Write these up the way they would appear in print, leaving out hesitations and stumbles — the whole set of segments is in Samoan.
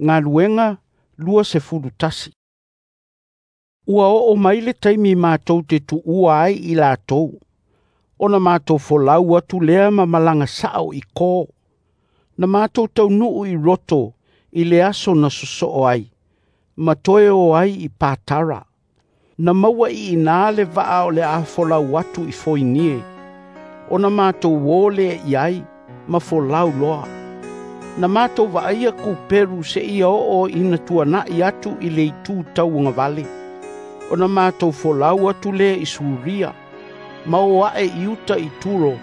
Galuega 21. Ua oo mai le taimi matou te tuua ai i latou, ona matou folau atu lea ma malaga sao i Ko. Na matou taunuu i Roto i le aso na sosoo ai, ma toe o ai i Patara. Na maua i ina le vaa o le a folau atu i Foinie, ona matou o lea i ai ma folau loa. Na matou vaaia Kuperu seia oo ina tuanai atu i le itu tauagavale, ona matou folau atu lea i Suria, ma o ae i uta i Turo,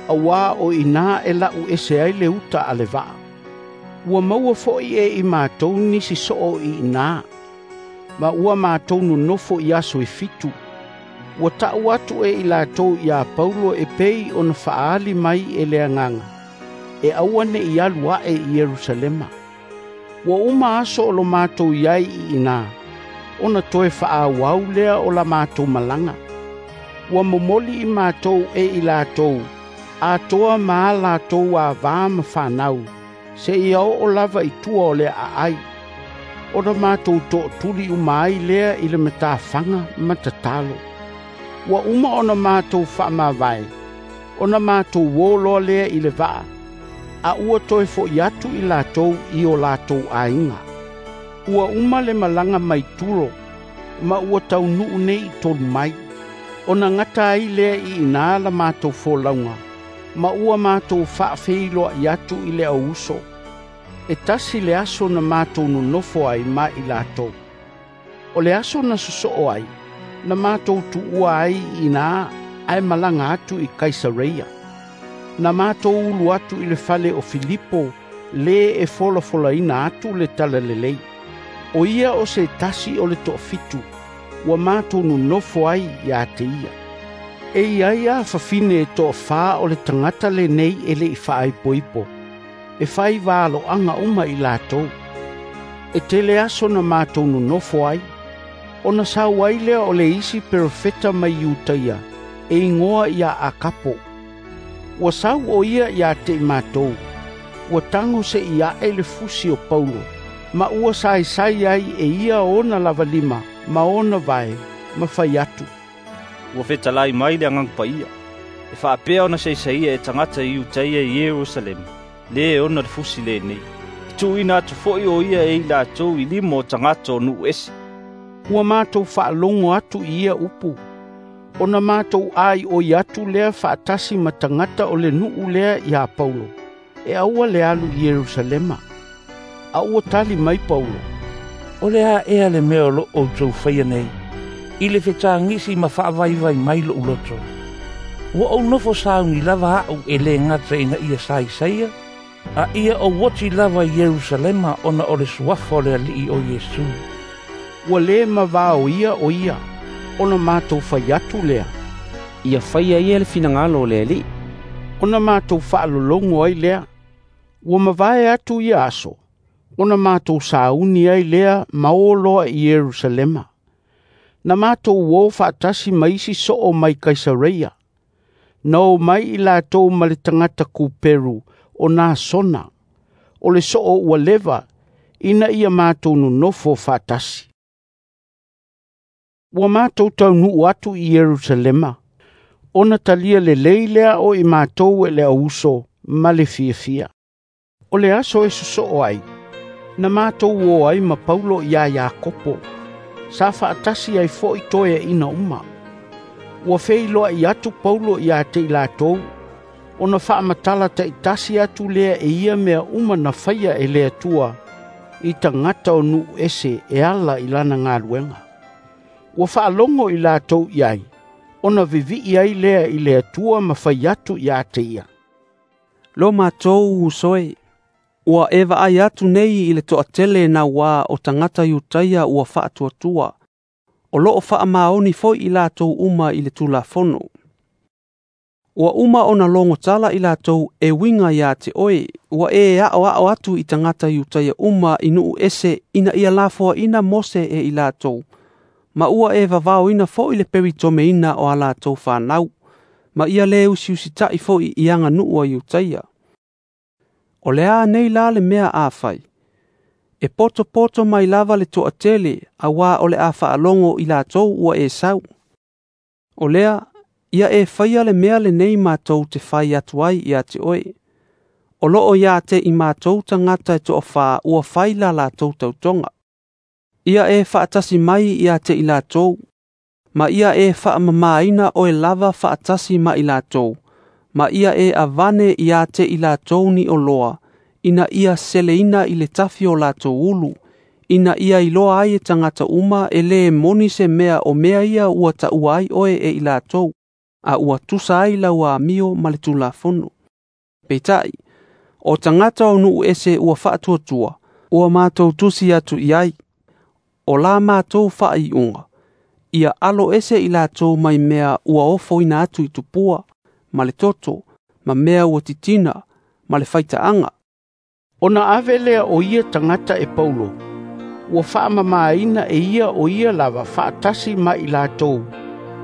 auā o i ina e lau ese ai le uta a le vaa. Ua maua foi e i matou nisi soo i ina, ma ua matou nonofo i aso e 7. Ua ta'u atu e i latou iā Paulo e pei ona faaali mai e le Agaga, e aua ne'i alu ae i Ierusalema. Ua uma aso o lo matou i ai i ina, ona toe faaauau lea o la matou malaga. Ua momoli i matou e i latou, atoa ma a latou avā ma fanau, seia oo lava i tua o le aai. Ona matou tootuli uma ai lea i le matafaga ma tatalo. Ua uma ona matou faamavae, ona matou o loa lea i le vaa, a ua toe fo'i atu i latou i o latou aiga. Ua uma le malaga mai Turo, ma ua taunuu nei i Tolumai. Ona gata ai lea i ina la matou folauga, ma ua matou faafeiloai atu i le auuso. E tasi le aso na matou nonofo ai ma i latou. O le aso na sosoo ai, na matou tuua ai i ina ae malaga atu i Kaisareia. Na matou ulu atu i le fale o Filipo le e folafolaina atu le talalelei. O ia o se tasi o le toafitu, ua matou nonofo ai ia te ia. E i ai a fafine e toafa o le tagata lenei e le'i faaipoipo, e fai valoaga uma i latou. E tele aso na matou nonofo ai, ona sau ai lea o le isi perofeta mai Iutaia, e igoa ia Akapo. Ua sau o ia ia te i matou, ua tago se i ae le fusi o Paulo, ma ua saisai ai e ia ona lava lima ma ona vae, ma fai atu. Ua fetalai mai le Agaga Paia, e faapea ona saisaia e tagata i Iutaia i Ierusalema, le ona le fusi lenei. E tuuina atu foi o ia e i latou i lima o tagata o nuu ese. Ua matou faalogo atu i ia upu, ona matou aioi atu lea faatasi ma tagata o le nuu lea iā Paulo, e aua le alu i Ierusalema. A ua tali mai Paulo, O le a ea le mea o loo outou faia nei, i le fetagisi ma faavaivai mai lo'u loto. Ua ou nofo sauni lava a'u e lē gata ina ia saisaia, a ia ou oti lava i Ierusalema ona o le suafa o le Alii o Iesu. Ua lē mavaoia o ia, ona matou fai atu lea, Ia faia ia le finagalo o le Alii. Ona matou faalologo ai lea. Ua mavae atu ia aso, ona matou sauni ai lea ma o loa i Ierusalema. Na matou o faatasi ma isi soo mai Kaisareia. Na o mai i latou ma le tagata Kuperu o Nasona, o le soo ua leva, ina ia matou nonofo faatasi. Ua matou taunuu atu i Ierusalema, ona talia lelei lea o i matou e le auuso ma le fiafia. O le aso e sosoo ai, na matou o ai ma Paulo iā Iakopo, sa faatasi ai foi toeaina uma. Ua feiloai atu Paulo ia te i latou, ona faamatala taitasi atu lea e ia mea uma na faia e le Atua i tagata o nuu ese e ala i lana galuega. Ua faalogo i latou i ai, ona vivii ai lea i le Atua ma fai atu ia te ia. Lo matou uso e, ua e vaai atu nei i le toatele nauā o tagata Iutaia ua faatuatua, o loo faamaoni foi i latou uma i le Tulafono. Ua uma ona logo tala i latou e uiga ia te oe, ua e aoao atu i tagata Iutaia uma i nuu ese ina ia lafoaina Mose e i latou, ma ua e vavaoina foi le peritomeina o a latou fanau, ma ia lē usiusita'i foi i aganuu a Iutaia. O le a nei la le mea a fai? E E poto mai lava le toatele auā o le a faalogo i latou ua e sau. O lea, ia e faia le mea lenei matou te fai atu ai ia te oe. O loo ia te i matou tagata e toafā ua fai la latou tautoga. Ia e faatasi mai ia te i latou, ma ia e faamamaina oe lava faatasi ma i latou, ma ia e avane ia te i latou ni oloa, ina ia seleina i le tafi o latou ulu, ina ia iloa ai e tagata uma e lē moni se mea o mea ia ua taua ai oe e i latou, a ua tusa ai lau amio ma le Tulafono. Peitai, o tagata o nuu ese ua faatuatua, ua matou tusi atu i ai. O la matou faaiuga, ia alo ese i latou mai mea ua ofoina atu i tupua, ma le toto, ma mea ua titina, ma le faitaaga. Ona ave lea o ia tagata e Paulo, ua faamamaina e ia o ia lava faatasi ma i latou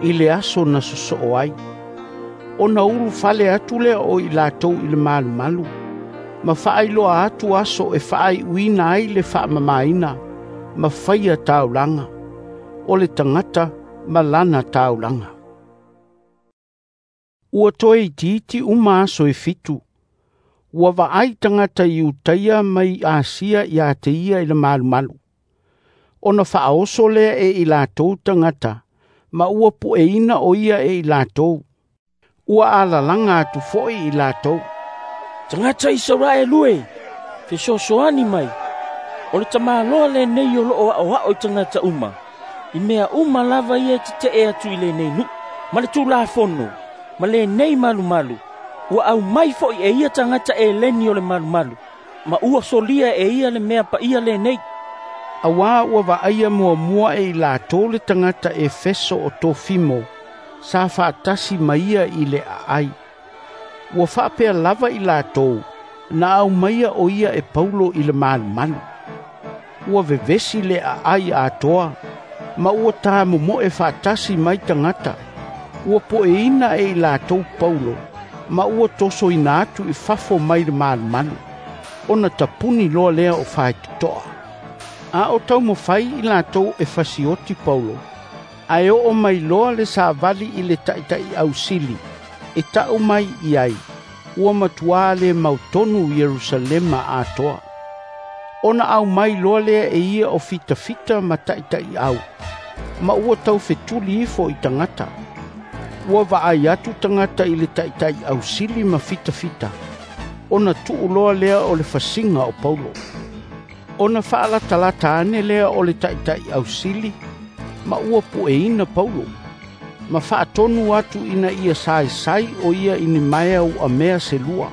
i le aso na sosoo ai. Ona ulufale atu lea o i latou i le malumalu, ma faailoa atu aso e faaiuina ai le faamamaina, ma faia taulaga, o le tagata ma lana taulaga. Ua toe itiiti uma aso e 7, ua vaai tagata Iutaia mai Asia ia te ia i le malumalu. Ona faaoso lea e i latou tagata, ma ua pueina o ia e i latou. Ua alalaga atu foi i latou. Tagata Isaraelu e, fesoasoani mai. O le tamaloa lenei o loo aoao i tagata uma. I mea uma lava ia e tetee atu i lenei nuu, ma le Tulafono, ma lenei malumalu. Ua aumai foi e ia tagata Eleni o le malumalu, ma ua solia e ia le mea paia lenei. Auā ua vaaia muamua e i latou le tagata Efeso o Tofimo, sa faatasi ma ia i le aai. Ua faapea lava i latou, na aumaia o ia e Paulo i le malumalu. Ua vevesi le aai atoa, ma ua tamomoe faatasi mai tagata. Ua poeina e i latou Paulo, ma ua tosoina atu i fafo mai le malumalu, ona tapuni loa lea o faitotoa. A o taumafai i latou e fasioti Paulo, ae oo mai loa le savali i le taitai ausili, e tau mai i ai, ua matuā le mautonu Ierusalema atoa. Ona aumai loa lea e ia o fitafita ma taitai au, ma ua taufetuli ifo i tagata. Ua vaai atu tagata i le taitai ausili ma fitafita, ona tuu loa lea o le fasiga o Paulo. Ona faalatalata ane lea o le taitai ausili, ma ua pueina Paulo, ma faatonu atu ina ia saesai o ia i ni maea uamea se lua.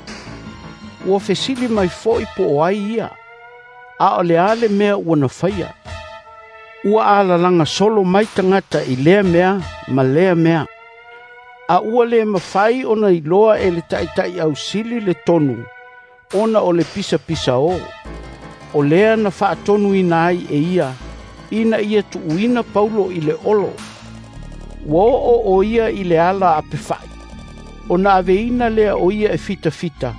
Ua fesili mai foi po o ai ia, a o le a le mea ua na faia. Ua alalaga solo mai tagata i lea mea ma lea mea. A ua le mafai ona iloa e le taitai ausili le tonu, ona o le pisapisa o. O lea na faatonuina ai e ia, ina ia tuuina Paulo i le olo. Ua oo o ia i le ala apefai. Ona aveina lea o ia e fitafita,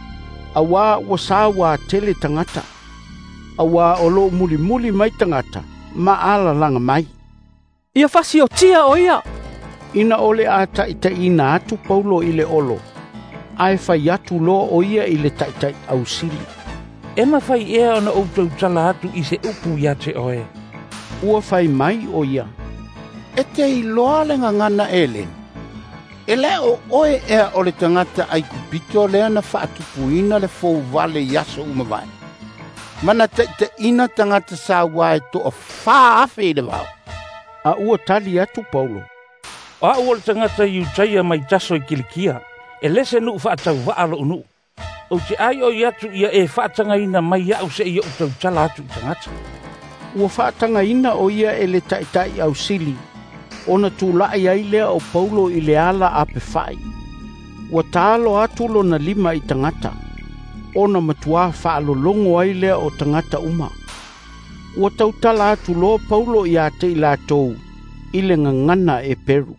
auā ua sauā tele tagata. Auā o loo mulimuli mai tagata, ma alalaga mai. Ia fasiotia o ia! Ina o le a taitaiina atu Paulo i le olo, ae fai atu loa o ia i le taitai ausili. E mafai ea ona ou tautala atu i se upu ia te oe. Ua fai mai o ia. E te iloa le gagana Eleni. E le o oe ea o le tagata Aikupito lea na faatupuina le fouvale i aso uma vae. Ma na taitaiina tagata sauā e 4,000 i le vao. A ua tali atu Paulo. O au o le tagata Iutaia mai Taso i Kilikia, e lese nuu faatauvaa lou nuu. Ou te ai oi atu ia e faatagaina mai au se i ou tautala atu i tagata. Ua faatagaina o ia e le taitai ausili, ona tulai ai lea o Paulo i le ala apefai. Ua taalo atu lona lima i tagata, ona matuā faalologo ai lea o tagata uma. Ua tautala atu loa Paulo ia te i latou i le gagana e Peru.